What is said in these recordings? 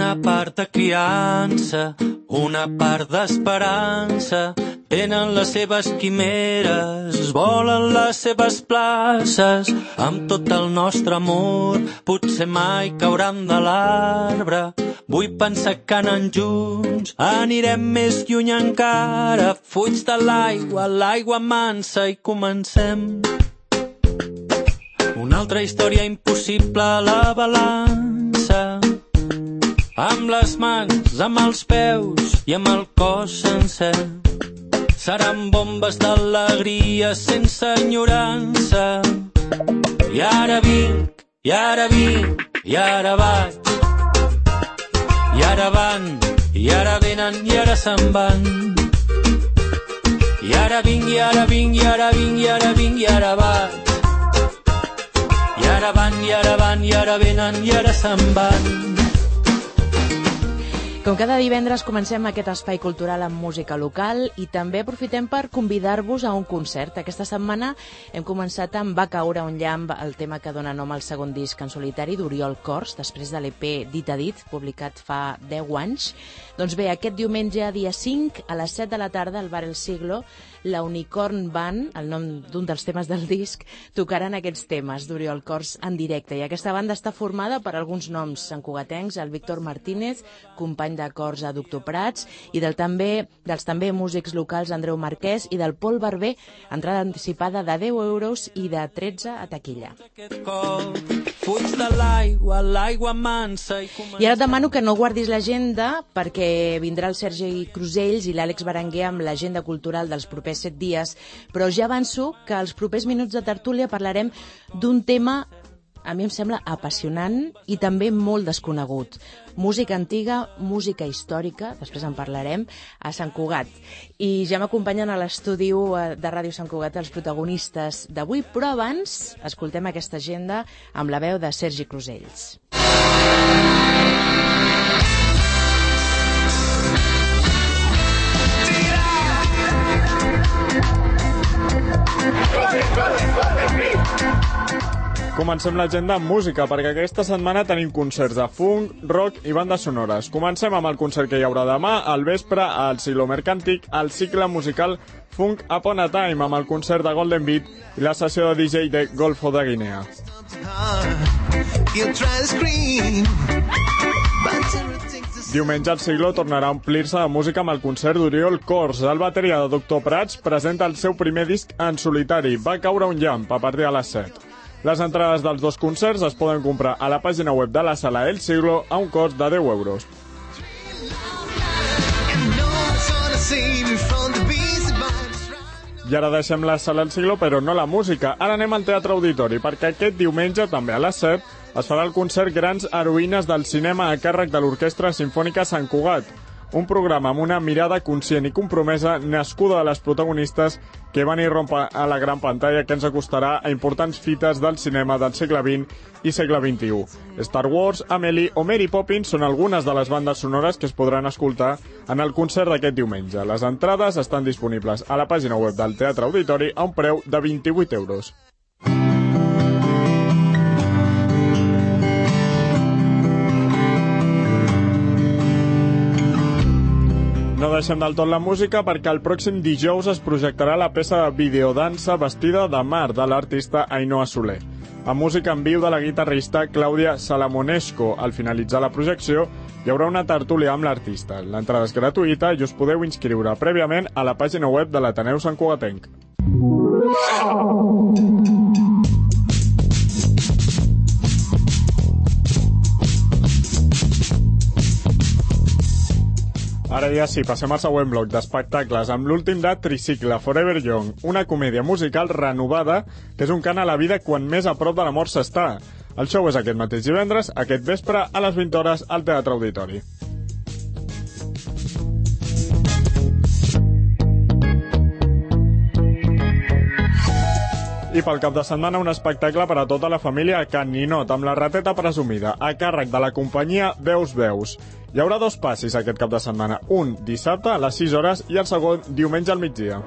Una part de criança, una part d'esperança, tenen les seves quimeres, volen les seves places, amb tot el nostre amor, potser mai cauran de l'arbre. Vull pensar que anant junts anirem més lluny encara, fuig de l'aigua mansa, i comencem una altra història impossible a la balança. Amb les mans, amb els peus i amb el cos sencer. Seran bombes d'alegria sense enyorança. I ara vinc, i ara vinc, i ara vaig. I ara van, i ara venen, i ara se'n van. I ara vinc, i ara vinc, i ara vinc, i ara vinc, i ara vaig. I ara van, i ara van, i ara venen, i ara se'n van. Com cada divendres comencem aquest espai cultural amb música local i també aprofitem per convidar-vos a un concert. Aquesta setmana hem començat amb Va caure un llamp, el tema que dona nom al segon disc en solitari d'Oriol Cors, després de l'EP Dit a Dit, publicat fa 10 anys. Doncs bé, aquest diumenge, dia 5, a les 7 de la tarda, al Bar El Siglo, la Unicorn Band, el nom d'un dels temes del disc, tocaran aquests temes d'Oriol Cors en directe. I aquesta banda està formada per alguns noms santcugatencs, el Víctor Martínez, company de cors a Doctor Prats, i dels també músics locals Andreu Marquès i del Pol Barber, entrada anticipada de 10 euros i de 13 a taquilla. I ara et demano que no guardis l'agenda perquè vindrà el Sergi Crusells i l'Àlex Berenguer amb l'agenda cultural dels propers 7 dies, però ja avanço que als propers minuts de tertúlia parlarem d'un tema, a mi em sembla apassionant i també molt desconegut. Música antiga, música històrica, després en parlarem, a Sant Cugat. I ja m'acompanyen a l'estudi de Ràdio Sant Cugat els protagonistes d'avui, però abans escoltem aquesta agenda amb la veu de Sergi Crusells. Comencem l'agenda amb música, perquè aquesta setmana tenim concerts de funk, rock i bandes sonores. Comencem amb el concert que hi haurà demà, al vespre, al Siglo Mercantic, al cicle musical Funk Upon a Time, amb el concert de Golden Beat i la sessió de DJ de Golfo de Guinea. Diumenge el Siglo tornarà a omplir-se de música amb el concert d'Oriol Cors. El bateria de Doctor Prats presenta el seu primer disc en solitari, Va caure un llamp, a partir de les 7. Les entrades dels dos concerts es poden comprar a la pàgina web de la Sala El Siglo a un cost de 10 euros. I ara deixem la Sala El Siglo, però no la música. Ara anem al Teatre Auditori, perquè aquest diumenge, també a les 7, es farà el concert Grans Heroïnes del Cinema a càrrec de l'Orquestra Simfònica Sant Cugat. Un programa amb una mirada conscient i compromesa nascuda de les protagonistes que van irrompre a la gran pantalla, que ens acostarà a importants fites del cinema del segle XX i segle XXI. Star Wars, Amélie o Mary Poppins són algunes de les bandes sonores que es podran escoltar en el concert d'aquest diumenge. Les entrades estan disponibles a la pàgina web del Teatre Auditori a un preu de 28 euros. No deixem del tot la música perquè el pròxim dijous es projectarà la peça de videodansa Vestida de mar de l'artista Ainhoa Soler. Amb música en viu de la guitarrista Clàudia Salamonesco. Al finalitzar la projecció hi haurà una tertúlia amb l'artista. L'entrada és gratuïta i us podeu inscriure prèviament a la pàgina web de l'Ateneu Sant Cugatenc. Ara ja sí, passem al següent bloc d'espectacles amb l'últim de Tricicle, Forever Young, una comèdia musical renovada que és un cant a la vida quan més a prop de la mort s'està. El show és aquest mateix divendres, aquest vespre, a les 20 hores, al Teatre Auditori. I pel cap de setmana un espectacle per a tota la família a Can Ninot, amb la rateta presumida, a càrrec de la companyia Veus Veus. Hi haurà dos passis aquest cap de setmana, un dissabte a les 6 hores i el segon diumenge al migdia.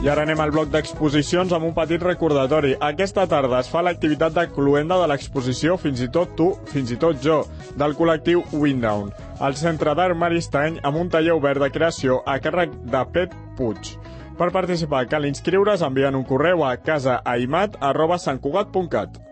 I I ara anem al bloc d'exposicions amb un petit recordatori. Aquesta tarda es fa l'activitat de cloenda de l'exposició Fins i tot tu, fins i tot jo, del col·lectiu Windown, al Centre d'Art Maristany, amb un taller obert de creació a càrrec de Pep Puig. Per participar cal inscriure's enviant un correu a casaaimat@santcugat.cat.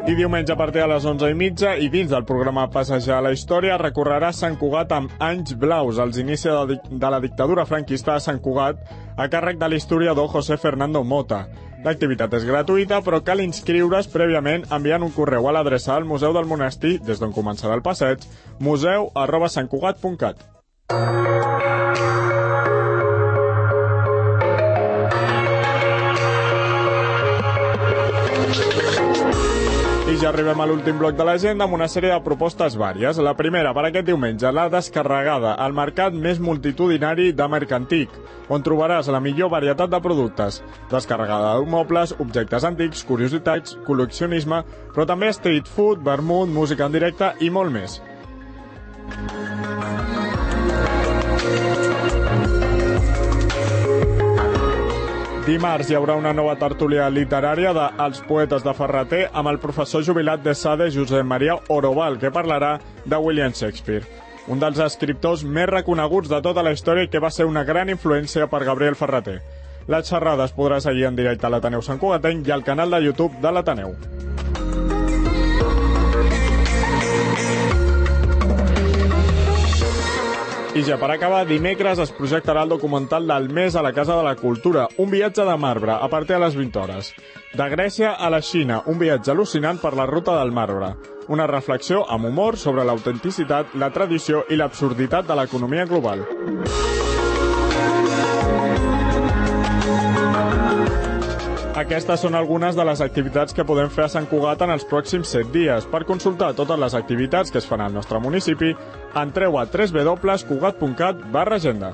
I diumenge a partir de les 11:30 i dins del programa Passejar a la Història recorrerà Sant Cugat amb Anys Blaus, als inicis de la dictadura franquista de Sant Cugat, a càrrec de l'historiador José Fernando Mota. L'activitat és gratuïta, però cal inscriure's prèviament enviant un correu a l'adreça del Museu del Monestir, des d'on començarà el passeig, museu@santcugat.cat. I ja arribem a l'últim bloc de l'agenda amb una sèrie de propostes vàries. La primera, per aquest diumenge, la Descarregada, el mercat més multitudinari de Mercantic, on trobaràs la millor varietat de productes. Descarregada de mobles, objectes antics, curiositats, col·leccionisme, però també street food, vermut, música en directe i molt més. Dimarts hi haurà una nova tertúlia literària de Els poetes de Ferrater amb el professor jubilat de SADE Josep Maria Oroval, que parlarà de William Shakespeare, un dels escriptors més reconeguts de tota la història i que va ser una gran influència per Gabriel Ferrater. La xerrada es podrà seguir en directe a l'Ateneu Sant Cugatenc i al canal de YouTube de l'Ateneu. I ja per acabar, dimecres es projectarà el documental del mes a la Casa de la Cultura, un viatge de marbre, a partir de les 20 hores. De Grècia a la Xina, un viatge al·lucinant per la ruta del marbre. Una reflexió amb humor sobre l'autenticitat, la tradició i l'absurditat de l'economia global. Aquestes són algunes de les activitats que podem fer a Sant Cugat en els pròxims 7 dies. Per consultar totes les activitats que es fan al nostre municipi, entreu a www.cugat.cat/agenda.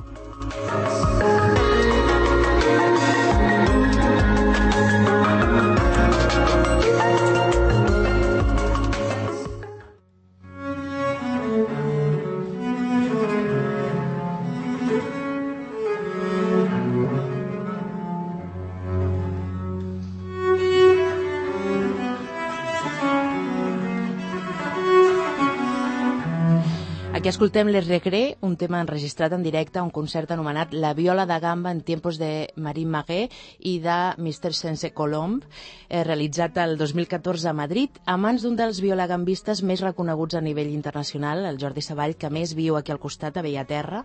Aquí escoltem Les Regrets, un tema enregistrat en directe a un concert anomenat La viola da gamba en tiempos de Marie Maguet i de Mr. Sense Colomb, realitzat el 2014 a Madrid, a mans d'un dels violagambistes més reconeguts a nivell internacional, el Jordi Savall, que més viu aquí al costat, a Bellaterra.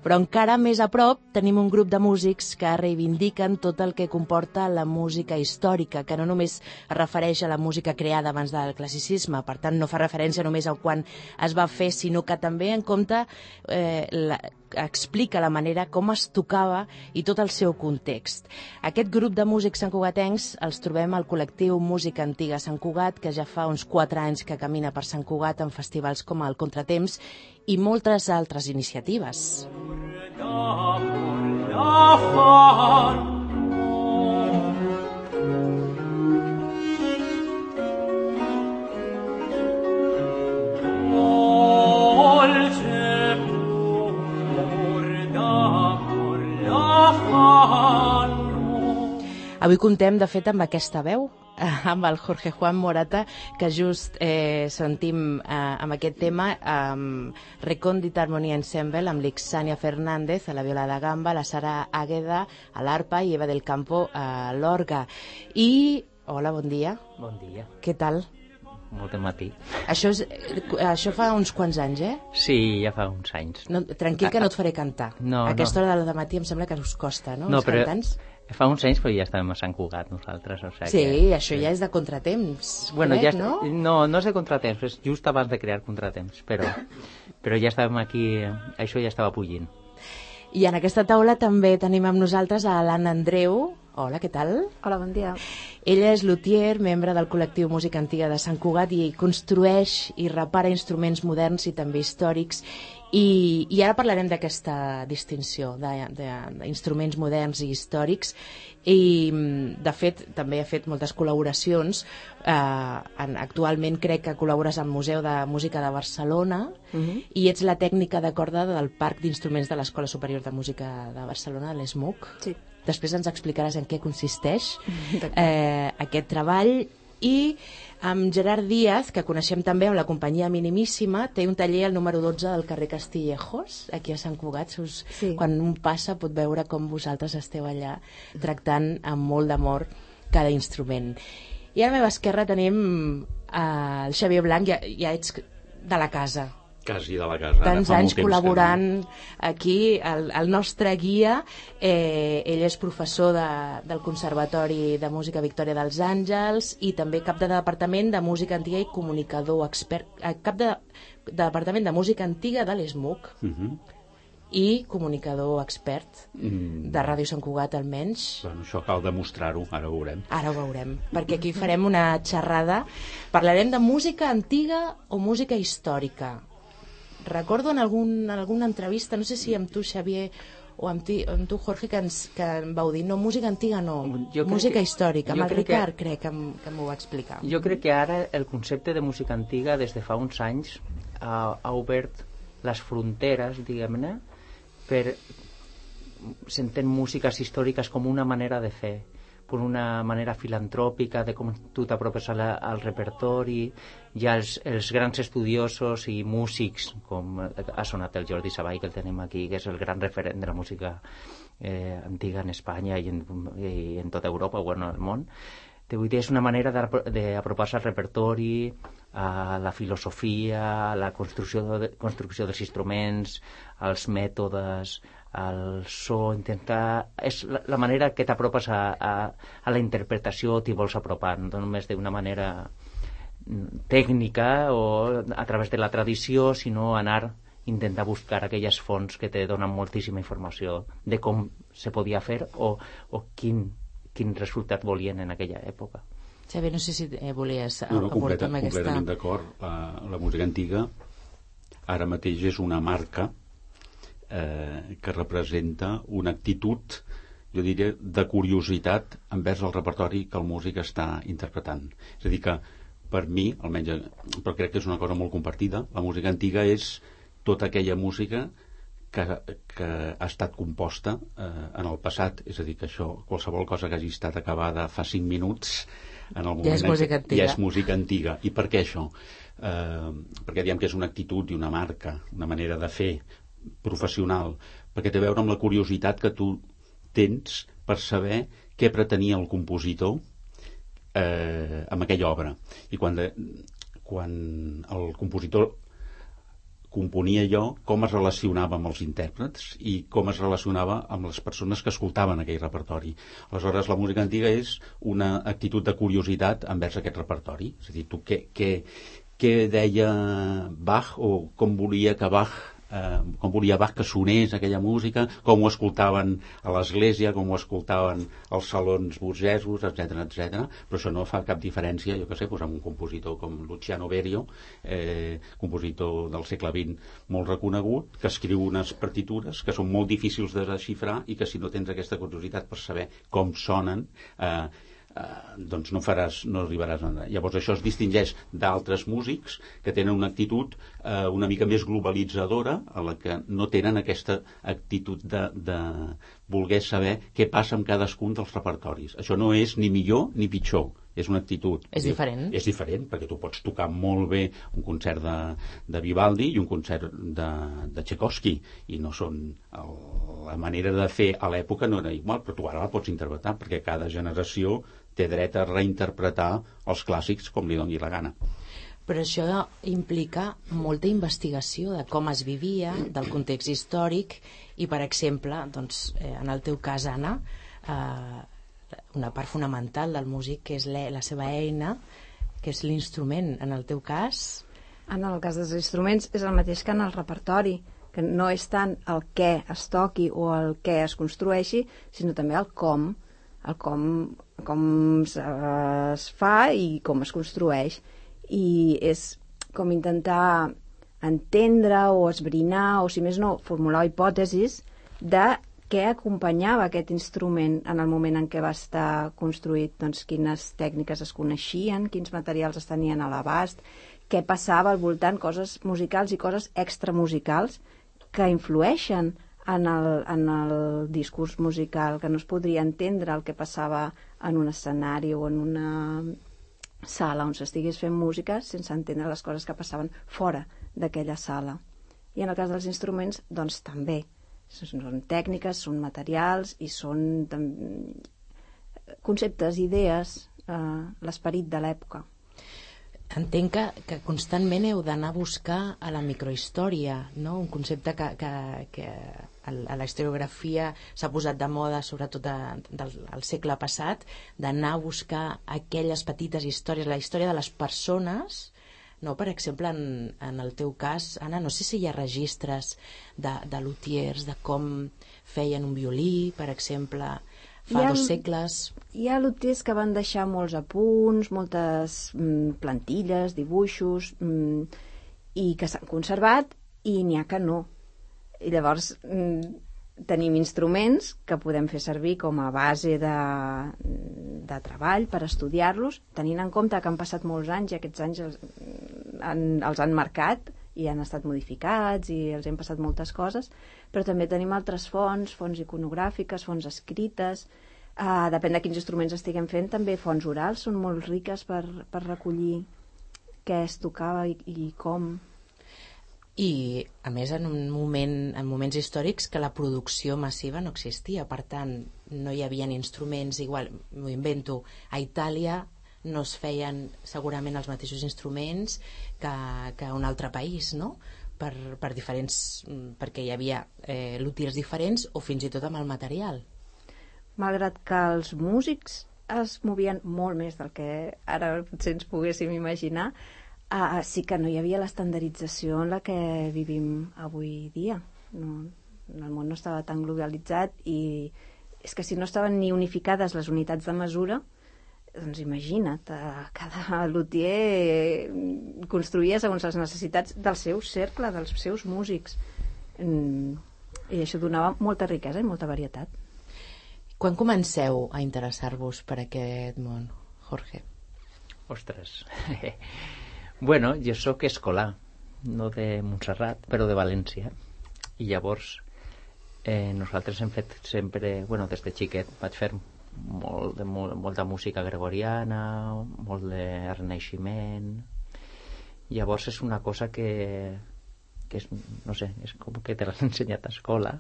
Però encara més a prop tenim un grup de músics que reivindiquen tot el que comporta la música històrica, que no només es refereix a la música creada abans del classicisme, per tant no fa referència només a quan es va fer, sinó que també en compte explica la manera com es tocava i tot el seu context. Aquest grup de músics santcugatencs els trobem al col·lectiu Música Antiga Sant Cugat, que ja fa uns 4 anys que camina per Sant Cugat en festivals com el Contratemps i moltes altres iniciatives. Avui contem, de fet, amb aquesta veu, amb el Jorge Juan Morata, que just sentim amb aquest tema, Recòndita Harmonia Ensemble, amb l'Ixània Fernández a la viola de gamba, la Sara Águeda a l'arpa i Eva del Campo a l'orga. I, hola, bon dia. Bon dia. Què tal? Molt de matí. Això fa uns quants anys, eh? Sí, ja fa uns anys. No, tranquil, que no et faré cantar. No, a aquesta hora del matí em sembla que us costa, no? No, els cantants. Fa uns anys, però ja estàvem a Sant Cugat nosaltres. O sigui sí, que... això ja és de Contratemps. Bueno, crec, ja no? No és de Contratemps, és just abans de crear Contratemps, però ja estàvem aquí, això ja estava bullint. I en aquesta taula també tenim amb nosaltres a l'Anna Andreu. Hola, què tal? Hola, bon dia. Ella és luthier, membre del col·lectiu Música Antiga de Sant Cugat i construeix i repara instruments moderns i també històrics. I ara parlarem d'aquesta distinció d'instruments moderns i històrics, i de fet també ha fet moltes col·laboracions. Actualment crec que col·labores al Museu de Música de Barcelona i ets la tècnica de corda del Parc d'Instruments de l'Escola Superior de Música de Barcelona, l'ESMUC. Sí. Després ens explicaràs en què consisteix aquest treball. I amb Gerard Díaz, que coneixem també amb la companyia Minimíssima, té un taller al número 12 del carrer Castillejos, aquí a Sant Cugat. Sí. Quan un passa pot veure com vosaltres esteu allà tractant amb molt d'amor cada instrument. I a la meva esquerra tenim el Xavier Blanc, ja ets de la casa. Quasi de la casa. Tants anys col·laborant aquí, el nostre guia. Ell és professor del Conservatori de Música Victòria dels Àngels i també cap de Departament de Música Antiga i comunicador expert, cap de Departament de Música Antiga de l'ESMUC i comunicador expert de Ràdio Sant Cugat, almenys. Bueno, això cal demostrar-ho, ara ho veurem. Ara ho veurem, perquè aquí farem una xerrada. Parlarem de música antiga o música històrica. Recordo en alguna entrevista, no sé si amb tu, Xavier, o amb tu, Jorge, que em vau dir, no, música antiga no, música històrica. Amb el Ricard crec que m'ho va explicar. Jo crec que ara el concepte de música antiga, des de fa uns anys, ha obert les fronteres, diguem-ne, per s'entén músiques històriques com una manera de fer, per una manera filantròpica de com tu t'apropes al repertori. Hi ha els grans estudiosos i músics, com ha sonat el Jordi Savall, que el tenim aquí, que és el gran referent de la música antiga en Espanya i en tota Europa, bueno, al món. Vull dir, és una manera d'apropar-se al repertori, a la filosofia, a la construcció dels instruments, als mètodes, al so, intentar... És la manera que t'apropes a la interpretació, t'hi vols apropar, no només d'una manera tècnica o a través de la tradició, sinó intentar buscar aquelles fonts que te donen moltíssima informació de com se podia fer o quin resultat volien en aquella època. Xavier, no sé si volies aportar amb aquesta... Completament d'acord. La música antiga ara mateix és una marca que representa una actitud, jo diria, de curiositat envers el repertori que el músic està interpretant. És a dir que, per mi, almenys, però crec que és una cosa molt compartida, la música antiga és tota aquella música que ha estat composta en el passat. És a dir, que això, qualsevol cosa que hagi estat acabada fa 5 minuts, en el moment ja és música antiga. Ja és música antiga. I per què això? Perquè diem que és una actitud i una marca, una manera de fer professional, perquè té a veure amb la curiositat que tu tens per saber què pretenia el compositor amb aquella obra. I quan el compositor componia allò, com es relacionava amb els intèrprets i com es relacionava amb les persones que escoltaven aquell repertori. Aleshores, la música antiga és una actitud de curiositat envers aquest repertori. És a dir, tu què deia Bach o com volia Bach que sonés aquella música, com ho escoltaven a l'església, com ho escoltaven als salons burgesos, etc. Però això no fa cap diferència, jo què sé, amb un compositor com Luciano Berio, compositor del segle XX molt reconegut, que escriu unes partitures que són molt difícils de desxifrar i que si no tens aquesta curiositat per saber com sonen, doncs no arribaràs a anar. Llavors això es distingeix d'altres músics que tenen una actitud una mica més globalitzadora, a la que no tenen aquesta actitud de voler saber què passa amb cadascun dels repertoris. Això no és ni millor ni pitjor, és una actitud. És diferent. És diferent, perquè tu pots tocar molt bé un concert de Vivaldi i un concert de Tchaikovsky, i no són... La manera de fer a l'època no era igual, però tu ara la pots interpretar, perquè cada generació té dret a reinterpretar els clàssics com li doni la gana. Però això implica molta investigació de com es vivia, del context històric, i, per exemple, doncs, en el teu cas, Anna, una part fonamental del músic, que és la seva eina, que és l'instrument. En el teu cas... En el cas dels instruments és el mateix que en el repertori, que no és tant el què es toqui o el què es construeixi, sinó també el com es fa i com es construeix. I és com intentar entendre o esbrinar, o si més no, formular hipòtesis de què acompanyava aquest instrument en el moment en què va estar construït, doncs quines tècniques es coneixien, quins materials es tenien a l'abast, què passava al voltant, coses musicals i coses extramusicals que influeixen en el discurs musical, que no es podria entendre el que passava en un escenari o en una sala on s'estigués fent música sense entendre les coses que passaven fora d'aquella sala. I en el cas dels instruments, doncs també. Són tècniques, són materials i són conceptes, idees, l'esperit de l'època. Entenc que constantment heu d'anar a buscar a la microhistòria, no? Un concepte que a la historiografia s'ha posat de moda, sobretot del segle passat, d'anar a buscar aquelles petites històries, la història de les persones. No, per exemple, en el teu cas, Anna, no sé si hi ha registres de luthiers, de com feien un violí, per exemple, fa 2 segles. Hi ha luthiers que van deixar molts apunts, moltes plantilles, dibuixos, i que s'han conservat, i n'hi ha que no. I llavors tenim instruments que podem fer servir com a base de treball per estudiar-los, tenint en compte que han passat molts anys i aquests anys els han marcat i han estat modificats i els hem passat moltes coses, però també tenim altres fonts iconogràfiques, fonts escrites, depèn de quins instruments estiguem fent, també fonts orals són molt riques per recollir què es tocava i com. I, a més, en moments històrics que la producció massiva no existia, per tant, no hi havia instruments igual, m'ho invento, a Itàlia no es feien segurament els mateixos instruments que a un altre país, no? Per diferents, perquè hi havia luthiers diferents o fins i tot amb el material. Malgrat que els músics es movien molt més del que ara potser ens poguéssim imaginar, sí que no hi havia l'estandardització en la que vivim avui dia. El món no estava tan globalitzat i és que si no estaven ni unificades les unitats de mesura, doncs imagina't, cada luthier construïa segons les necessitats del seu cercle, dels seus músics. I això donava molta riquesa i molta varietat. Quan comenceu a interessar-vos per aquest món, Jorge? Ostres... Bueno, jo sóc escolà, no de Montserrat, però de València. I llavors nosaltres hem fet sempre, des de xiquet, vaig fer molta música gregoriana, molt de renaixement. Llavors és una cosa que és, no sé, és com que te l'han ensenyat a escola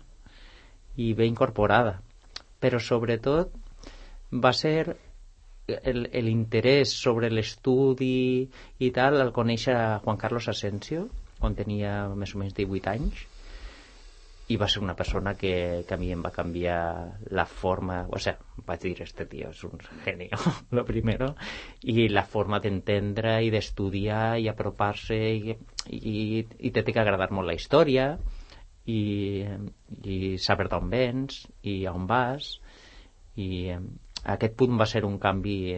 i bé incorporada. Però sobretot va ser l'interès sobre l'estudi i tal, el conèixer a Juan Carlos Asensio quan tenia més o menys 18 anys, i va ser una persona que a mi em va canviar la forma, vaig dir, este tío és un genio, lo primero, i la forma d'entendre i d'estudiar i apropar-se i te té que agradar molt la història i saber d'on vens i on vas, i aquest punt va ser un canvi,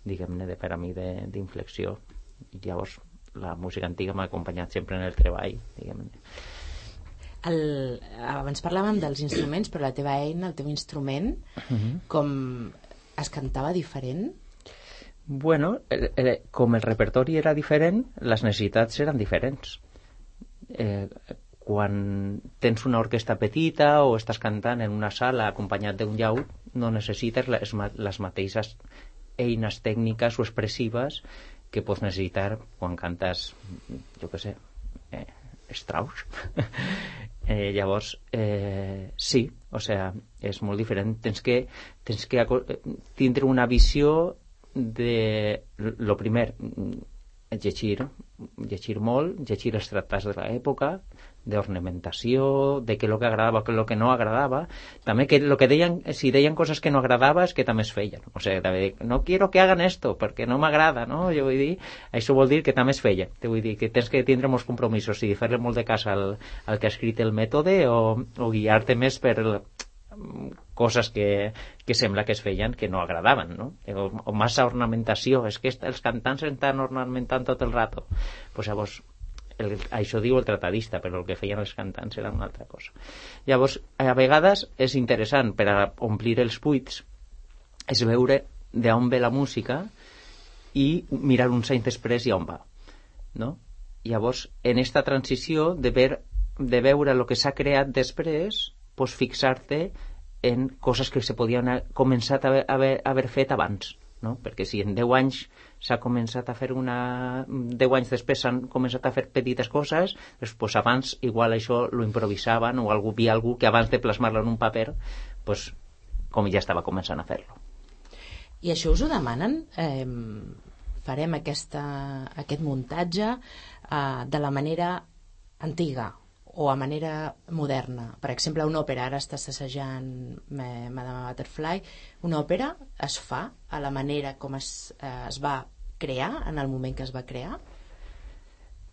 diguem-ne, per a mi d'inflexió. Llavors, la música antiga m'ha acompanyat sempre en el treball, diguem-ne. Abans parlàvem dels instruments, però la teva eina, el teu instrument, com es cantava diferent? Bueno, com el repertori era diferent, les necessitats eren diferents. Quan tens una orquestra petita o estàs cantant en una sala acompanyat d'un llaüt, no necessites les mateixes eines tècniques o expressives que pots necessitar quan cantes, jo què sé, Strauss. Llavors, sí, és molt diferent. Tens que tindre una visió de, lo primer, llegir molt, llegir els tractats de l'època, d'ornamentació, de què el que agradava, què el que no agradava, també que lo que deien, si deien coses que no agradava és que també es feien, no quiero que hagan esto perquè no m'agrada, no? Jo vull dir, això vol dir que també es feia, vull dir que tens que tindre molts compromisos i fer-li molt de cas al que ha escrit el mètode o guiar-te més per coses que sembla que es feien que no agradaven, no? O massa ornamentació, és que els cantants estan ornamentant tot el rato, pues llavors això diu el tratadista, però el que feien els cantants era una altra cosa. Llavors, a vegades és interessant per a omplir els buits és veure d'on ve la música i mirar uns anys després i on va, no? Llavors, en esta transició de veure el que s'ha creat després, pues fixar-te en coses que se podien haver començat a haver fet abans, no? Perquè si en 10 anys s'ha començat a fer 10 anys després s'han començat a fer petites coses, doncs abans igual això lo improvisaven o havia algú que abans de plasmar-lo en un paper pues, com ja estava començant a fer-lo. I això us ho demanen? Farem aquest muntatge de la manera antiga o a manera moderna. Per exemple, una òpera, ara estàs assajant Madame Butterfly, una òpera es fa a la manera com es va crear en el moment que es va crear?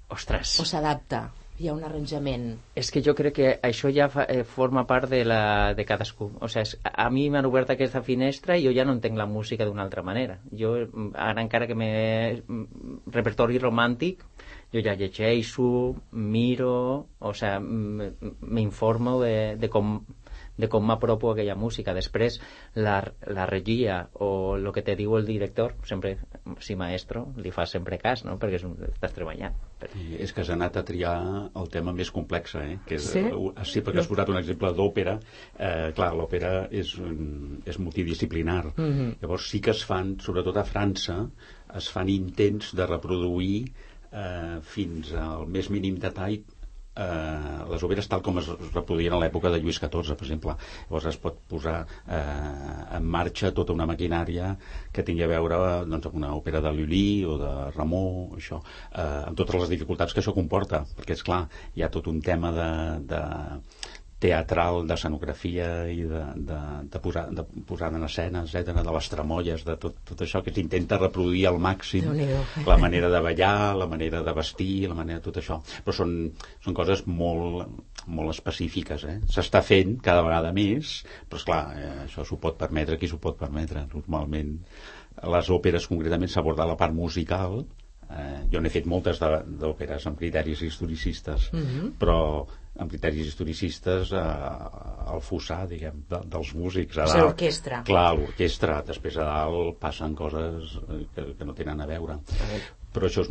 Ostres! O s'adapta? Hi ha un arranjament? És que jo crec que això ja forma part de cadascú. O sigui, a mi m'han obert aquesta finestra i jo ja no entenc la música d'una altra manera. Jo, ara encara que repertori romàntic, jo ja llegeixo, miro, o sigui, m'informo de com m'apropo a aquella música. Després, la regia o el que te diu el director, sempre, si maestro, li fa sempre cas, no? Perquè estàs treballant. És que has anat a triar el tema més complex, que és, sí, perquè has posat un exemple d'òpera. Clar, l'òpera és multidisciplinar. Llavors sí que es fan, sobretot a França, es fan intents de reproduir fins al més mínim detall les òperes tal com es reproduïen a l'època de Lluís XIV, per exemple. Llavors es pot posar en marxa tota una maquinària que tingui a veure doncs, amb una òpera de Lully o de Rameau, això, amb totes les dificultats que això comporta, perquè és clar, hi ha tot un tema de teatral, d'escenografia i de posar en escena, etcètera, de les tramolles, de tot això que s'intenta reproduir al màxim, la manera de ballar, la manera de vestir, la manera de tot això. Però són coses molt específiques, S'està fent cada vegada més, però esclar, això s'ho pot permetre qui s'ho pot permetre. Normalment les òperes concretament s'aborda la part musical. Jo n'he fet moltes d'òperes amb criteris historicistes, però amb criteris historicistes al fossar, diguem, dels músics. És l'orquestra. Clar, l'orquestra. Després a dalt passen coses que no tenen a veure. Però això és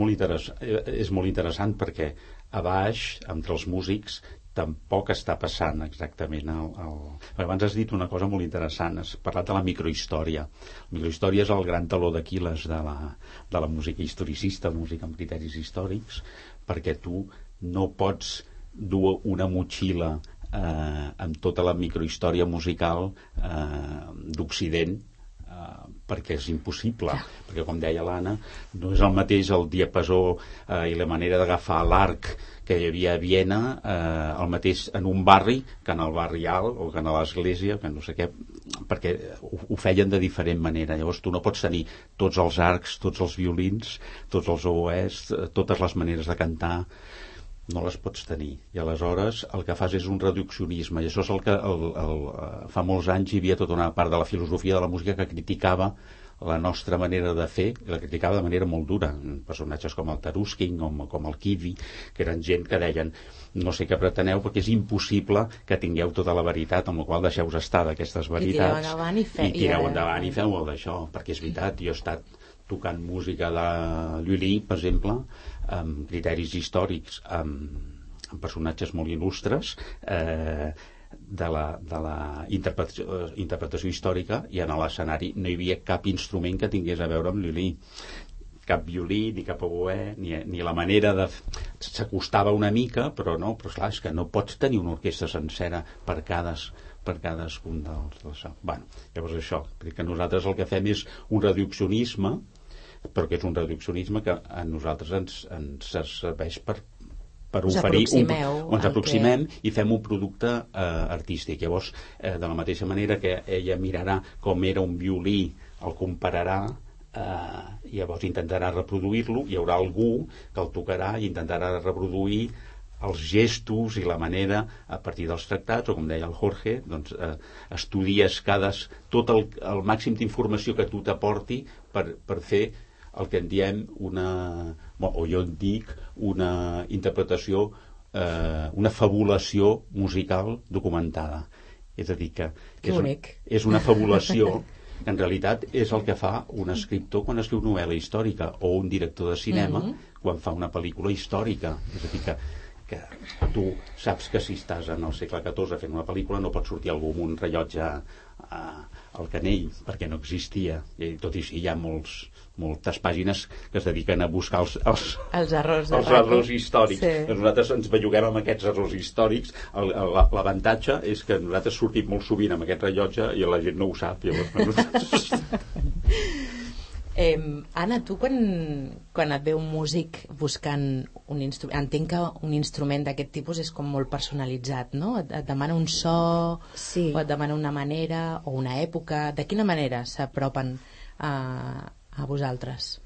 molt interessant perquè a baix, entre els músics, tampoc està passant exactament abans has dit una cosa molt interessant, has parlat de la microhistòria. La microhistòria és el gran taló d'Aquil·les de la música historicista, música amb criteris històrics, perquè tu no pots dur una motxilla amb tota la microhistòria musical d'Occident, perquè és impossible, perquè com deia l'Anna, no és el mateix el diapasó i la manera d'agafar l'arc que hi havia a Viena, el mateix en un barri que en el barri alt o que en l'església, que no sé què, perquè ho feien de diferent manera. Llavors tu no pots tenir tots els arcs, tots els violins, tots els oboès, totes les maneres de cantar, no les pots tenir. I aleshores el que fas és un reduccionisme, i això és el que fa molts anys hi havia tota una part de la filosofia de la música que criticava la nostra manera de fer, i la criticava de manera molt dura. Personatges com el Taruskin o com el Kivi, que eren gent que deien no sé què preteneu perquè és impossible que tingueu tota la veritat, amb la qual deixeu estar d'aquestes veritats i tireu endavant i feu molt d'això, perquè és veritat, jo he estat tocant música de Lully, per exemple, amb criteris històrics, amb personatges molt il·lustres, de la interpretació històrica, i en l'escenari no hi havia cap instrument que tingués a veure amb Lully, cap violí, ni cap oboè, ni la manera de... S'acostava una mica, però clar, és que no pots tenir una orquestra sencera per cadascun dels... Bueno, llavors això, perquè nosaltres el que fem és un reduccionisme, però que és un reduccionisme que a nosaltres ens serveix per oferir ens aproximem i fem un producte artístic. Llavors, de la mateixa manera que ella mirarà com era un violí, el compararà, i llavors intentarà reproduir-lo, hi haurà algú que el tocarà i intentarà reproduir els gestos i la manera a partir dels tractats, o com deia el Jorge, doncs, estudies tot el màxim d'informació que tu t'aporti per fer el que en diem o jo en dic una interpretació, una fabulació musical documentada. És a dir, que és una fabulació que en realitat és el que fa un escriptor quan escriu novel·la històrica, o un director de cinema quan fa una pel·lícula històrica. És a dir, que tu saps que si estàs en el segle XIV fent una pel·lícula no pot sortir algú amb un rellotge al canell, perquè no existia. I tot i així hi ha moltes pàgines que es dediquen a buscar els errors històrics. Sí. Nosaltres ens belluguem amb aquests errors històrics. L'avantatge és que nosaltres sortim molt sovint amb aquest rellotge i la gent no ho sap. Anna, tu quan et ve un músic buscant un instrument, entenc que un instrument d'aquest tipus és com molt personalitzat, no? Et demana un so, sí, o et demana una manera o una època. De quina manera s'apropen a vosaltres?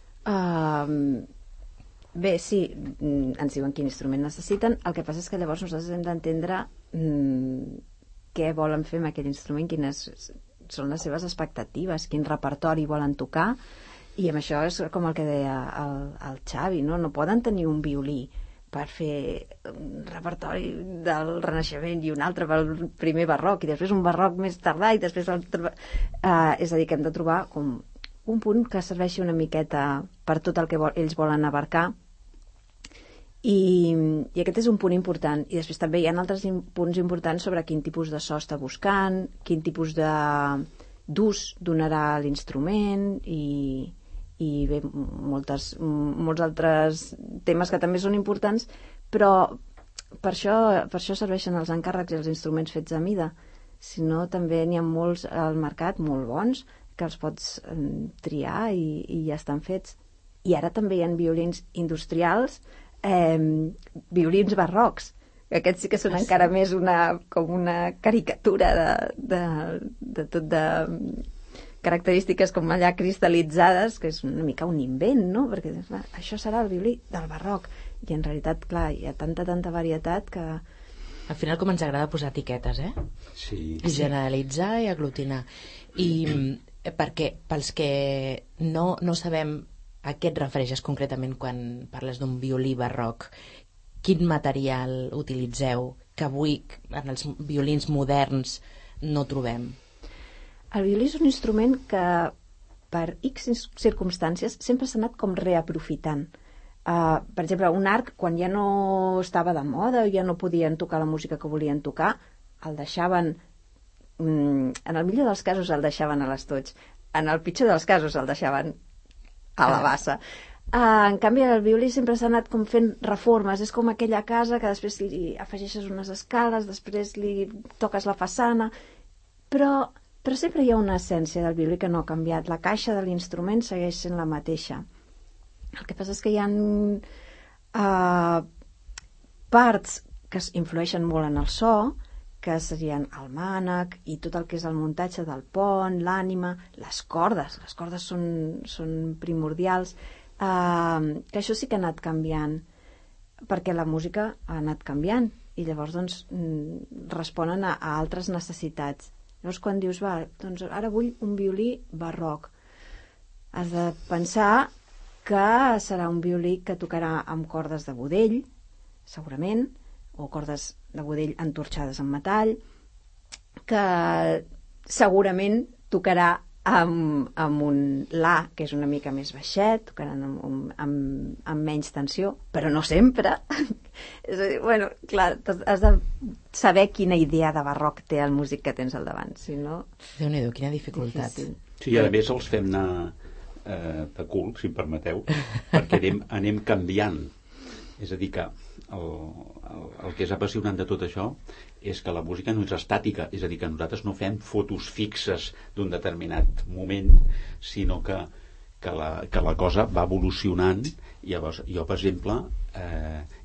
Bé, sí, ens diuen quin instrument necessiten. El que passa és que llavors nosaltres hem d'entendre què volen fer amb aquell instrument, quines són les seves expectatives, quin repertori volen tocar. I amb això és com el que deia el Xavi, no? No poden tenir un violí per fer un repertori del Renaixement i un altre pel primer barroc, i després un barroc més tardà, i després és a dir, que hem de trobar com un punt que serveixi una miqueta per tot el que ells volen abarcar, i aquest és un punt important. I després també hi ha altres punts importants sobre quin tipus de so està buscant, quin tipus d'ús donarà l'instrument, i bé, molts altres temes que també són importants, però per això serveixen els encàrrecs i els instruments fets a mida. Si no, també n'hi ha molts al mercat molt bons que els pots triar i ja estan fets. I ara també hi ha violins industrials, violins barrocs, que aquests sí que són encara més com una caricatura de tot de característiques com allà cristal·litzades, que és una mica un invent, no? Perquè clar, això serà el violí del barroc, i en realitat, clar, hi ha tanta varietat que... Al final com ens agrada posar etiquetes, Sí. I generalitzar i aglutinar. I perquè pels que no sabem a què et refereixes concretament quan parles d'un violí barroc, quin material utilitzeu que avui en els violins moderns no trobem? El violí és un instrument que per X circumstàncies sempre s'ha anat com reaprofitant. Per exemple, un arc, quan ja no estava de moda o ja no podien tocar la música que volien tocar, el deixaven, en el millor dels casos el deixaven a l'estoig, en el pitjor dels casos el deixaven a la bassa. En canvi, el violí sempre s'ha anat com fent reformes. És com aquella casa que després li afegeixes unes escales, després li toques la façana, però sempre hi ha una essència del violí que no ha canviat. La caixa de l'instrument segueix sent la mateixa. El que passa és que hi ha parts que influeixen molt en el so, que serien el mànec i tot el que és el muntatge del pont, l'ànima, les cordes són primordials, que això sí que ha anat canviant, perquè la música ha anat canviant i llavors doncs responen a altres necessitats. Llavors quan dius, doncs ara vull un violí barroc, has de pensar que serà un violí que tocarà amb cordes de budell, segurament, o cordes de budell entorxades en metall, que segurament tocarà amb un La, que és una mica més baixet, tocaran amb menys tensió, però no sempre. És a dir, bueno, clar, has de saber quina idea de barroc té el músic que tens al davant, si no... Déu-n'hi-do, quina dificultat. Difícil. Sí, a més els fem anar de cul, si em permeteu, perquè anem canviant. És a dir, que el que és apassionant de tot això és que la música no és estàtica, és a dir, que nosaltres no fem fotos fixes d'un determinat moment, sinó que la cosa va evolucionant. I llavors, jo, per exemple,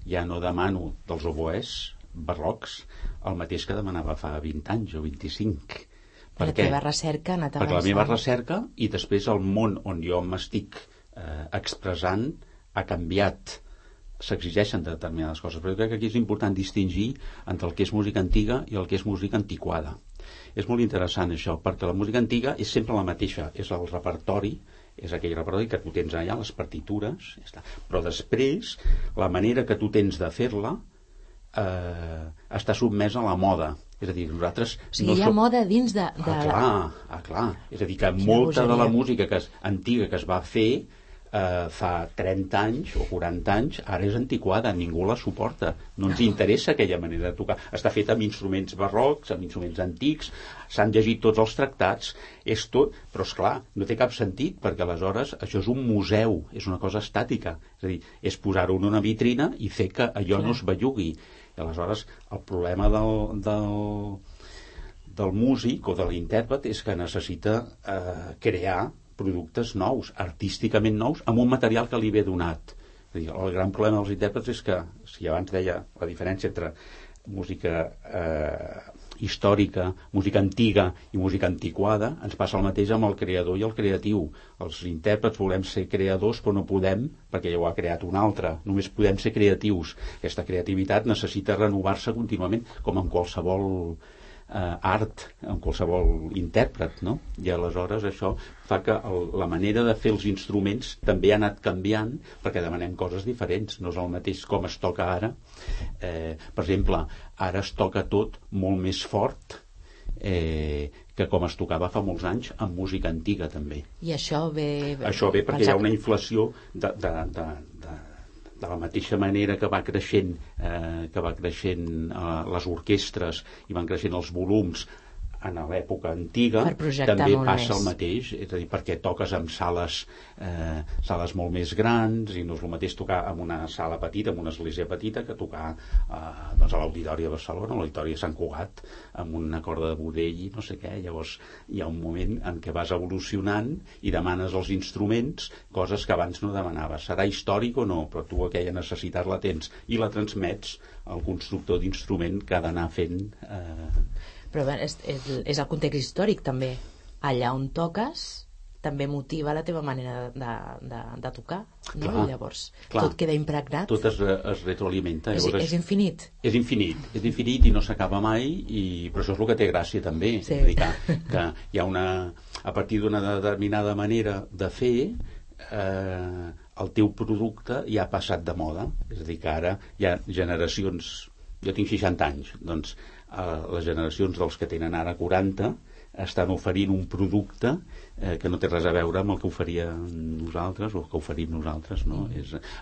ja no demano dels oboès barrocs el mateix que demanava fa 20 anys o 25. La teva recerca ha anat avançant. Perquè la meva recerca i després el món on jo m'estic expressant ha canviat. S'exigeixen determinades coses, però jo crec que aquí és important distingir entre el que és música antiga i el que és música antiquada. És molt interessant això, perquè la música antiga és sempre la mateixa, és el repertori, és aquell repertori que tu tens allà, les partitures, ja està. Però després, la manera que tu tens de fer-la està sotmesa a la moda. És a dir, nosaltres... O sigui, hi ha moda dins de... clar. És a dir, que molta de la música antiga que es va fer fa 30 anys o 40 anys, ara és antiquada, ningú la suporta. No ens interessa aquella manera de tocar. Està feta amb instruments barrocs, amb instruments antics, s'han llegit tots els tractats, és tot, però esclar, no té cap sentit, perquè aleshores això és un museu, és una cosa estàtica. És a dir, és posar-ho en una vitrina i fer que allò no es bellugui. I aleshores el problema del músic o de l'intèrpret és que necessita crear productes nous, artísticament nous, amb un material que li ve donat. És a dir, el gran problema dels intèrprets és que, si abans deia la diferència entre música històrica, música antiga i música antiquada, ens passa el mateix amb el creador i el creatiu. Els intèrprets volem ser creadors, però no podem, perquè ja ho ha creat un altre. Només podem ser creatius. Aquesta creativitat necessita renovar-se contínuament, com en qualsevol art, en qualsevol intèrpret, no? I aleshores això fa que la manera de fer els instruments també ha anat canviant, perquè demanem coses diferents. No és el mateix com es toca ara. Per exemple, ara es toca tot molt més fort que com es tocava fa molts anys amb música antiga també. I això ve perquè hi ha una inflació de la mateixa manera que va creixent les orquestres i van creixent els volums en l'època antiga, també passa el mateix, és a dir, perquè toques en sales molt més grans, i no és el mateix tocar en una sala petita, en una església petita, que tocar a l'Auditori de Barcelona, a l'Auditori de Sant Cugat, amb una corda de budell i no sé què. Llavors hi ha un moment en què vas evolucionant i demanes als instruments coses que abans no demanaves. Serà històric o no, però tu aquella necessitat la tens i la transmets al constructor d'instrument que ha d'anar fent... Però és el context històric també. Allà on toques també motiva la teva manera de tocar, no? Clar, llavors tot queda impregnat, tot es retroalimenta. És infinit. És infinit i no s'acaba mai, però això és el que té gràcia també. Sí. És a dir, que hi ha a partir d'una determinada manera de fer, el teu producte ja ha passat de moda. És a dir, que ara hi ha generacions... Jo tinc 60 anys, doncs les generacions dels que tenen ara 40 estan oferint un producte que no té res a veure amb el que oferíem nosaltres o que oferim nosaltres, no?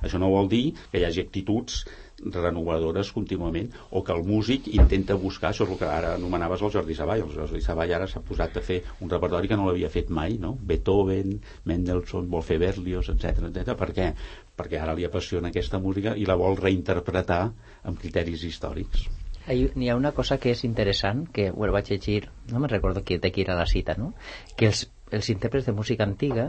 Això no vol dir que hi hagi actituds renovadores contínuament, o que el músic intenta buscar, això és el que ara anomenaves el Jordi Savall. El Jordi Savall ara s'ha posat a fer un repertori que no l'havia fet mai, no? Beethoven, Mendelssohn, vol fer Berlioz, etc. Per què? Perquè ara li apassiona aquesta música i la vol reinterpretar amb criteris històrics. N'hi ha una cosa que és interessant, que ho vaig llegir, no me'n recordo de qui era la cita, no? Que els intèrprets de música antiga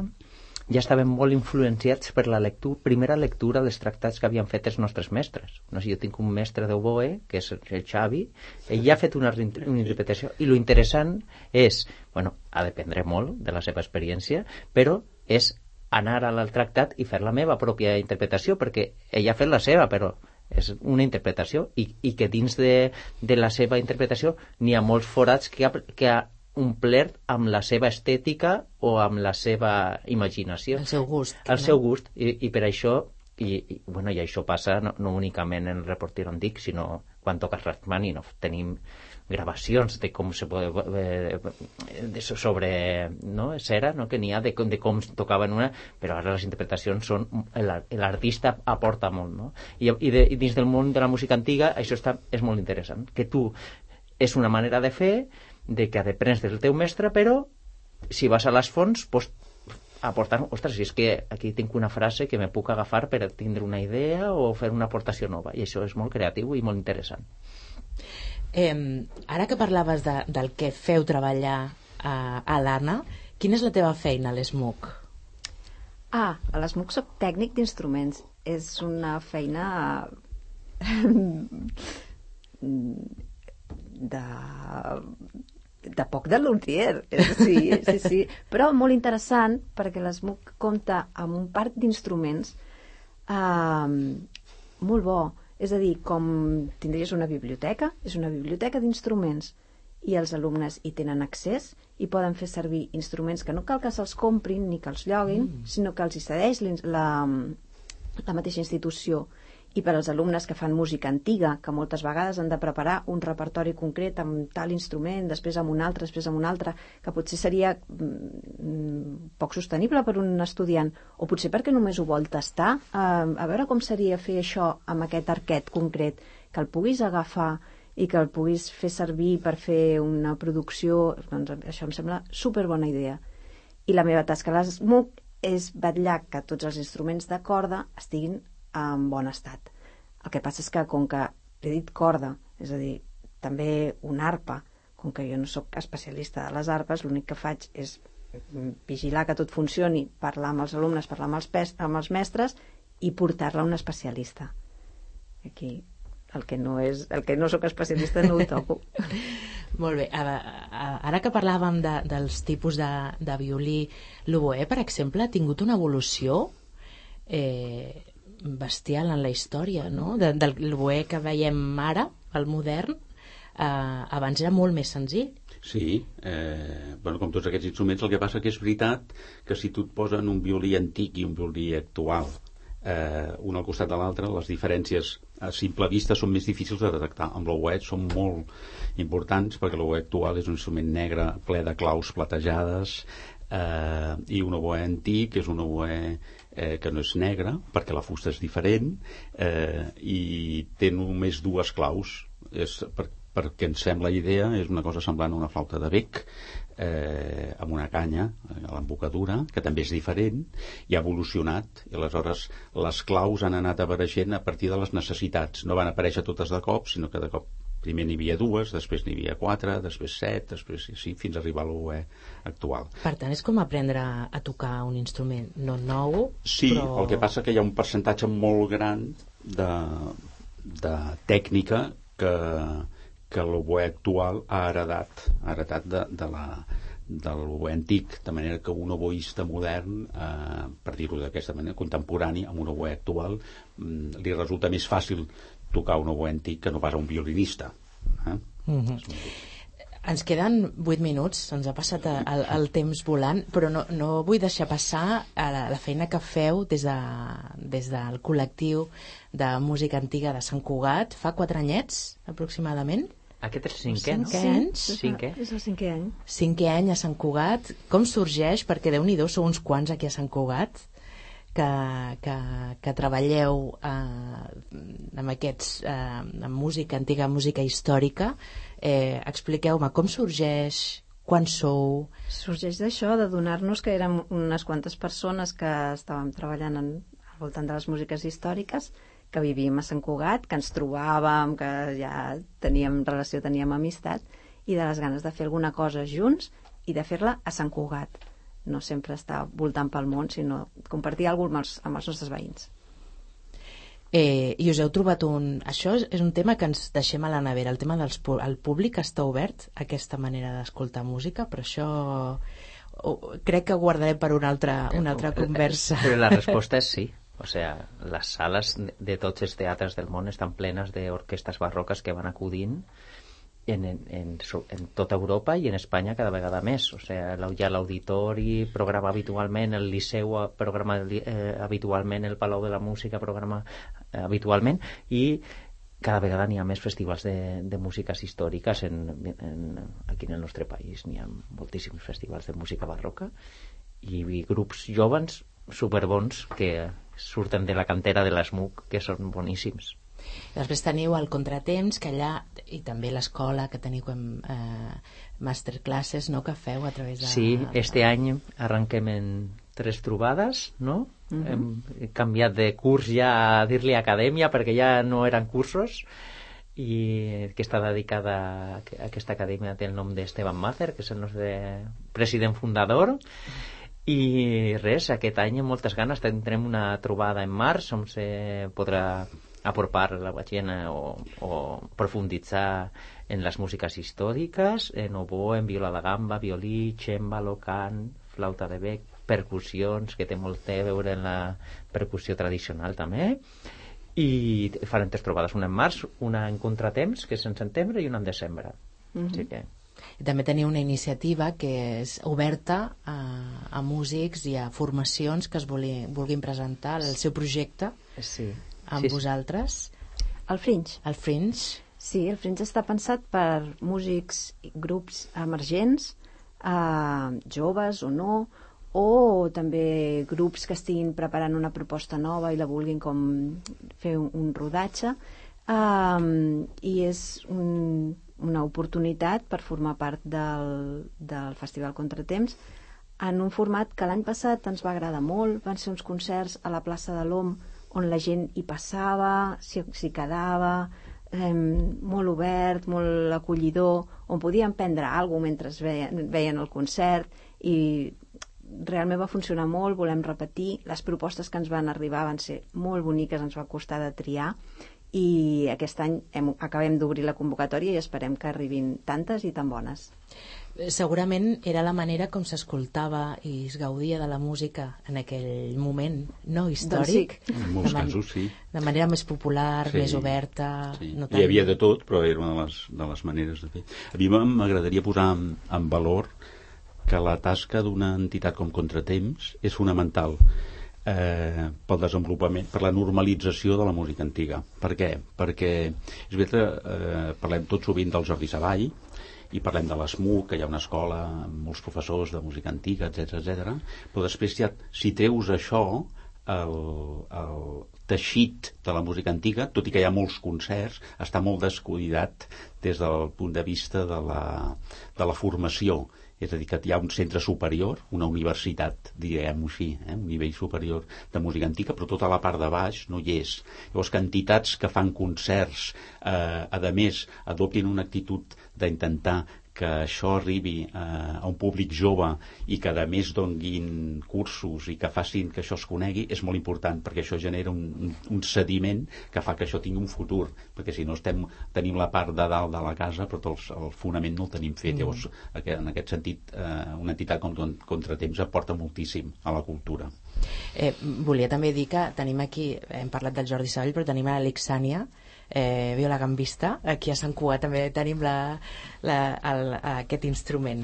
ja estaven molt influenciats per la primera lectura dels tractats que havien fet els nostres mestres. No sé, jo tinc un mestre d'oboe, que és el Xavi, ell ja ha fet una interpretació, i lo interessant és, ha de dependre molt de la seva experiència, però és anar al tractat i fer la meva pròpia interpretació, perquè ell ha fet la seva, però és una interpretació, i que dins de la seva interpretació n'hi ha molts forats que ha omplert amb la seva estètica o amb la seva imaginació, el seu gust, seu gust, i per això i això passa no únicament en el repertori antic, sinó quan toques Rachmaninoff tenim gravacions de com se pot sobre cera, no? Que n'hi ha de com tocaven una, però ara les interpretacions són l'artista aporta molt, no? I dins del món de la música antiga això és molt interessant, que tu és una manera de fer de que aprens del teu mestre, però si vas a les fonts pots aportar, ostres, si és que aquí tinc una frase que me puc agafar per tindre una idea o fer una aportació nova, i això és molt creatiu i molt interessant. Ara que parlaves del que feu treballar a l'Anna, quina és la teva feina a l'ESMUC? A l'ESMUC soc tècnic d'instruments. És una feina de poc de luthier, sí, però molt interessant, perquè l'ESMUC compta amb un parc d'instruments molt bo. És a dir, com tindries una biblioteca, és una biblioteca d'instruments, i els alumnes hi tenen accés i poden fer servir instruments que no cal que se'ls comprin ni que els lloguin, sinó que els hi cedeix la mateixa institució. I per als alumnes que fan música antiga, que moltes vegades han de preparar un repertori concret amb tal instrument, després amb un altre, que potser seria poc sostenible per un estudiant, o potser perquè només ho vol tastar, a veure com seria fer això amb aquest arquet concret, que el puguis agafar i que el puguis fer servir per fer una producció, doncs això em sembla superbona idea. I la meva tasca a l'ESMUC és vetllar que tots els instruments de corda estiguin en bon estat. El que passa és que, com que he dit corda, és a dir, també una arpa, com que jo no sóc especialista de les arpes, l'únic que faig és vigilar que tot funcioni, parlar amb els alumnes, parlar amb els mestres i portar-la a un especialista. Aquí, el que no sóc especialista no ho toco. Molt bé, ara que parlàvem dels tipus de violí, l'oboè, per exemple, ha tingut una evolució bestial en la història, no? Del l'oboè que veiem ara, el modern, abans era molt més senzill. Sí, com tots aquests instruments, el que passa que és veritat que si tu et posen un violí antic i un violí actual, un al costat de l'altre, les diferències a simple vista són més difícils de detectar. Amb l'oboè són molt importants, perquè l'oboè actual és un instrument negre ple de claus platejades, i un oboè antic és un oboè que no és negre perquè la fusta és diferent, i té només dues claus. Perquè ens sembla idea, és una cosa semblant a una flauta de bec, amb una canya a l'embocadura, que també és diferent, i ha evolucionat, i aleshores les claus han anat apareixent a partir de les necessitats. No van aparèixer totes de cop, sinó que de cop primer n'hi havia dues, després n'hi havia 4, després 7, després sí, fins a arribar a l'oboè actual. Per tant, és com aprendre a tocar un instrument no nou, sí, però... el que passa que hi ha un percentatge molt gran de tècnica que l'oboè actual ha heretat de l'oboè antic, de manera que un oboista modern, per dir-ho d'aquesta manera, contemporani, amb un oboè actual, li resulta més fàcil tocar un oboè antic que no pas a un violinista. Ens queden 8 minuts, ens ha passat el temps volant, però no vull deixar passar la feina que feu des del col·lectiu de música antiga de Sant Cugat. Fa 4 anyets, aproximadament. Aquest és el 5è, no? 5 anys. 5è. És el 5è any. 5è any a Sant Cugat. Com sorgeix? Perquè Déu-n'hi-do, sou uns quants aquí a Sant Cugat que treballeu amb música antiga, música històrica. Expliqueu-me com sorgeix, quan sou? Sorgeix d'això, de donar-nos que érem unes quantes persones que estàvem treballant al voltant de les músiques històriques, que vivíem a Sant Cugat, que ens trobàvem, que ja teníem relació, teníem amistat, i de les ganes de fer alguna cosa junts i de fer-la a Sant Cugat. No sempre estar voltant pel món, sinó compartir alguna cosa amb els nostres veïns. I us heu trobat això és un tema que ens deixem a la nevera, el tema del públic està obert a aquesta manera d'escoltar música, però això crec que ho guardarem per una altra conversa. Però la resposta és sí. O sea, les sales de tots els teatres del món estan plenes d'orquestres barroques que van acudint en tota Europa i en Espanya cada vegada més. O sea, hi ha l'auditori, programa habitualment, el Liceu programa habitualment, el Palau de la Música programa habitualment, i cada vegada n'hi ha més festivals de músiques històriques aquí en el nostre país. N'hi ha moltíssims festivals de música barroca i grups jovens superbons que surten de la cantera de l'ESMUC, que són boníssims. Després teniu el Contratemps, que allà, i també l'escola, que teniu masterclasses, no?, que feu a través de... Sí, este any arrenquem en 3 trobades, no? Hem canviat de curs ja a dir-li acadèmia, perquè ja no eren cursos, i que està dedicada a aquesta acadèmia, té el nom d'Esteban Mácer, que és el nostre president fundador. I res, aquest any amb moltes ganes tindrem una trobada en març on se podrà apropar la gent o profunditzar en les músiques històriques, en oboè, en viola de gamba, violí, cèmbalo, cant, flauta de bec, percussions, que té molt a veure en la percussió tradicional també, i farem 3 trobades, una en març, una en Contratemps, que és en setembre, i una en desembre. Així que I també teniu una iniciativa que és oberta a músics i a formacions que es vulguin presentar el seu projecte amb vosaltres. El Fringe. El Fringe. Sí, el Fringe està pensat per músics i grups emergents, joves o no, o també grups que estiguin preparant una proposta nova i la vulguin com fer un rodatge, i és una oportunitat per formar part del Festival Contratemps en un format que l'any passat ens va agradar molt. Van ser uns concerts a la plaça de l'OM on la gent hi passava, s'hi quedava, molt obert, molt acollidor, on podien prendre alguna cosa mentre veien el concert, i realment va funcionar molt. Volem repetir. Les propostes que ens van arribar van ser molt boniques, ens va costar de triar, i aquest any acabem d'obrir la convocatòria i esperem que arribin tantes i tan bones. Segurament era la manera com s'escoltava i es gaudia de la música en aquell moment, no? Històric. Doncs sí. En molts casos, sí. De manera més popular, més oberta. Sí. No tan... Hi havia de tot, però era una de les maneres de fer. A mi m'agradaria posar en valor que la tasca d'una entitat com Contratemps és fonamental pel desenvolupament, per la normalització de la música antiga. Per què? Perquè és veritat, parlem tot sovint del Jordi Savall i parlem de l'ESMUC, que hi ha una escola amb molts professors de música antiga, etc. Però després, si treus això, el teixit de la música antiga, tot i que hi ha molts concerts, està molt descuidat des del punt de vista de la formació. És a dir, que hi ha un centre superior, una universitat, diguem-ho així, un nivell superior de música antiga, però tota la part de baix no hi és. Llavors, que entitats que fan concerts, a més, adoptin una actitud d'intentar que això arribi a un públic jove i que a més donguin cursos i que facin que això es conegui, és molt important, perquè això genera un sediment que fa que això tingui un futur, perquè si no tenim la part de dalt de la casa però el fonament no el tenim fet. Llavors, en aquest sentit, una entitat com Contratemps aporta moltíssim a la cultura. Volia també dir que tenim aquí, hem parlat del Jordi Savall, però tenim a l'Alexània, viola gambista. Aquí a Sant Cugat també tenim aquest instrument.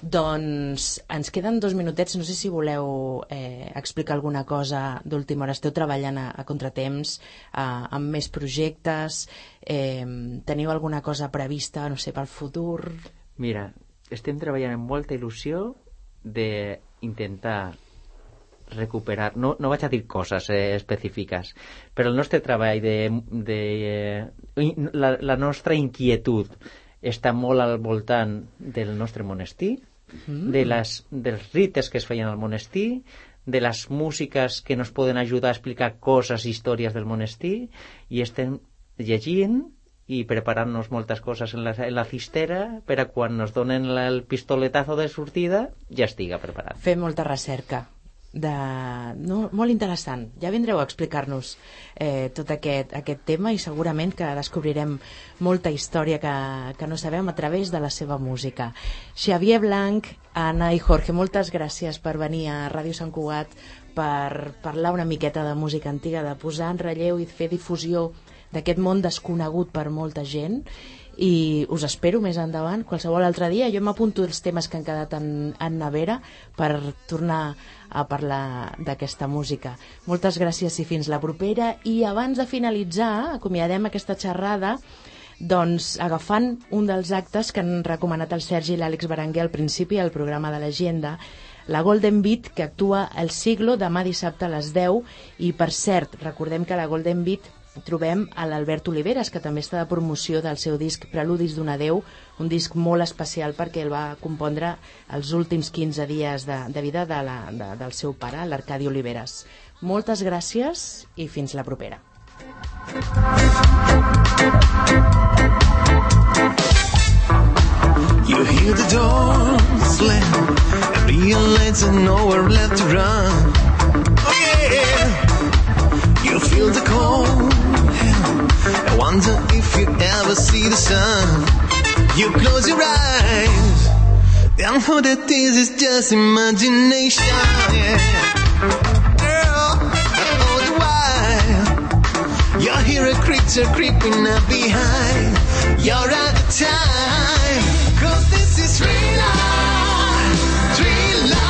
Doncs ens queden 2 minutets. No sé si voleu explicar alguna cosa d'última hora. Esteu treballant a Contratemps amb més projectes, teniu alguna cosa prevista, no sé, pel futur? Mira, estem treballant amb molta il·lusió d'intentar recuperar, no vaig a dir coses específiques, però el nostre treball la nostra inquietud està molt al voltant del nostre monestir, dels rites que es feien al monestir, de les músiques que ens poden ajudar a explicar coses, històries del monestir, i estem llegint i preparant-nos moltes coses en la cistera per a quan ens donen el pistoletazo de sortida ja estiga preparat. Fem molta recerca. Molt interessant. Ja vindreu a explicar-nos tot aquest tema i segurament que descobrirem molta història que no sabem a través de la seva música. Xavier Blanc, Anna i Jorge, moltes gràcies per venir a Ràdio Sant Cugat per parlar una miqueta de música antiga, de posar en relleu i fer difusió d'aquest món desconegut per molta gent, i us espero més endavant qualsevol altre dia. Jo m'apunto els temes que han quedat en nevera per tornar a parlar d'aquesta música. Moltes gràcies i fins la propera. I abans de finalitzar, acomiadem aquesta xerrada doncs agafant un dels actes que han recomanat el Sergi i l'Àlex Berenguer al principi al programa de l'Agenda, la Golden Beat, que actua al Siglo demà dissabte a les 10. I per cert, recordem que la Golden Beat trobem a l'Albert Oliveres, que també està de promoció del seu disc Preludis d'un adeu, un disc molt especial perquè el va compondre els últims 15 dies de vida del seu pare, l'Arcadi Oliveres. Moltes gràcies i fins la propera. You hear the door slam and realize there's nowhere left to run. Oh yeah. You feel the cold hand. I wonder if you ever see the sun. You close your eyes and know that this is just imagination. Yeah. Girl, all the while you hear a creature creeping up behind. You're out of time. this is real life, real life.